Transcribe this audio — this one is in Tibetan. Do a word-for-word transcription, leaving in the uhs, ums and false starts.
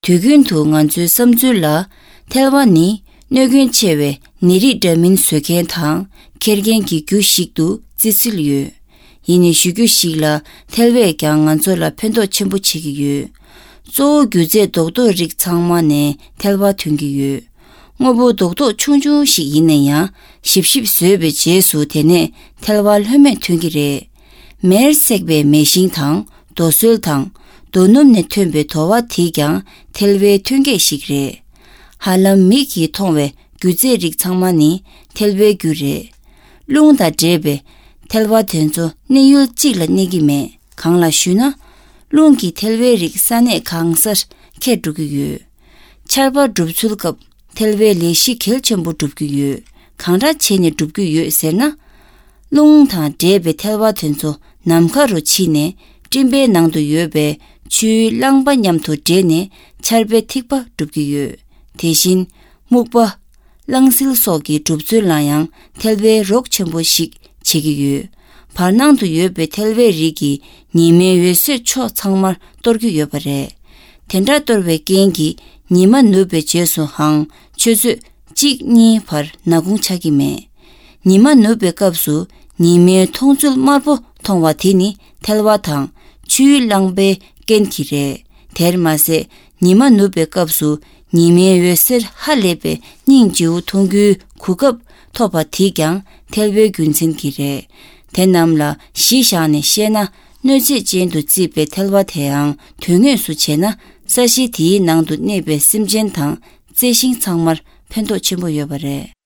དུས་རྒྱུན་དུ་ང་ཚོའི་བསམ་ཚུལ་ལ་ཐལ་བ་ནི་གནོད་སྐྱོན་ཆེ་བའི་ནད་རིགས་འདྲ་མིན་བཟོ་མཁན་དང་འཁྱེར་མཁན་གྱི་རྒྱུ་ཞིག་ཏུ་བརྩི་སྲོལ་ཡོད། ཡིན་ནའི་གཞི་རྒྱུ་ཞིག་ལ་ཐལ་བས་ཀྱང་ང་ཚོ་ལ་ཕན་ཐོགས་ཆེན་པོ་བྱེད་ཀྱི་ཡོད། གཙོ་བོ་རྒྱུ་རྫས་རྡོག་རྡོག་རིགས་ཚང་མ་ནས་ཐལ་བ་ཐོན་གྱི་ཡོད། དངོས་པོ་རྡོག་རྡོག་ཆུང་ཆུང་ཞིག་ཡིན་ན་ཡང་། ཞིབ་ཞིབ་བཟོས་པའི་རྗེས་སུ་དེ་ནས་ཐལ་བ་ལྷོད་མེད་ཐོན་གྱི་རེད། མེར་བསྲེགས་པའི་མེ་ཤིང་དང་རྡོ་སོལ་དང་རྡོ་སྣུམ་ནས་ཐོན་པའི་རྡོ་བ་དེས་ཀྱང་ཐལ་བའི་ཐོན་སྐྱེད་ཞིག་རེད། ཧ་ལམ་མིག་གིས་མཐོང་བའི་རྒྱུ་རྫས་རིགས་ཚང་མ་ནི་ཐལ་བའི་རྒྱུ་རེད། རླུང་དང་འདྲེས་པའི་ཐལ་བ་དེ་ཚོ་གནས་ཡུལ་གཅིག་ལ་གནས་ཀྱི་མེད། གང་ལགས་ཞུས་ན། རླུང་གིས་ཐལ་བའི་རིགས་ས་གནས་གང་སར་འཁྱེར་འགྲོ་གི་ཡོད། ཆར་པ་འགྲུབ་ཚུལ་སྐབས་ཐལ་བའི་ལས་གཞི་གལ་ཆེན་པོ་སྒྲུབ་ཀྱི་ཡོད། གང་འདྲ་བྱས་ནས་སྒྲུབ་ཀྱི་ཡོད་ཟེར་ན། རླུང་དང་འདྲེས་པའི་ཐལ་བ་དེ་ཚོ་ནམ་མཁའ་རུ་ཕྱིན་ནས་སྤྲིན་པའི་ནང་དུ་ཡོད་པའི་ཆུའི་རླངས་པ་མཉམ་དུ་འདྲེས་ནས་ཆར་པའི་ཐིགས་པ་སྒྲུབ་ཀྱི་ཡོད། དེ་བཞིན་སྨུག་པ། གླང་སིལ་སོགས་ཀྱི་གྲུབ་ཚུལ་ལ་ཡང་ཐལ་བའི་རོགས་ཆེན་པོ་ཞིག་བྱེད་ཀྱི་ཡོད། བར་སྣང་དུ་ཡོད་པའི་ཐལ་བའི་རིགས་ཀྱིས་ཉི་མའི་འོད་ཟེར་ཕྱོགས་ཚང་མར་གཏོར་གྱི་ཡོད་པ་རེད། དེ་འདྲ་གཏོར་བའི་རྐྱེན་གྱིས་ཉི་མ་ནུབ་པའི་རྗེས་སུའང་ཆུ་ཚོད་གཅིག་གཉིས་བར་ནག་ཁུང་ཆགས་ཀྱི་མེད། ཉི་མ་ནུབ་པའི་སྐབས་སུ་ཉི་མའི་མཐོང་ཚུལ་དམར་པོ་མཐོང་བ་དེ་ནི་ཐལ་བ་དང་ཆུའི་རླངས་པའི་རྐྱེན་གྱིས་རེད། དེར་མ་ཟད། ཉི་མ་ནུབ་པའི་སྐབས་སུ་ཉི་མའི་འོད་ཟེར་ཧ་ལས་པའི་སྙིང་རྗེ་བོ་མཐོང་རྒྱུའི་གོ་སྐབས་ཐོབ་པ་དེས་ཀྱང་ཐལ་བའི་རྒྱུ་མཚན་གྱིས་རེད། དེ་རྣམས་ལ་གཞི་བཞག་ནས་བཤད་ན། གནོད་བྱེད་ཅན་དུ་བརྩིས་པའི་ཐལ་བ་དེའང་དོན་དངོས་སུ་བྱས་ན། ས་གཞི་དེའི་ནང་དུ་གནས་པའི་སེམས་ཅན་དང་རྩི་ཤིང་ཚང་མར་ཕན་ཐོགས་ཆེན་པོ་ཡོད་པ་རེད།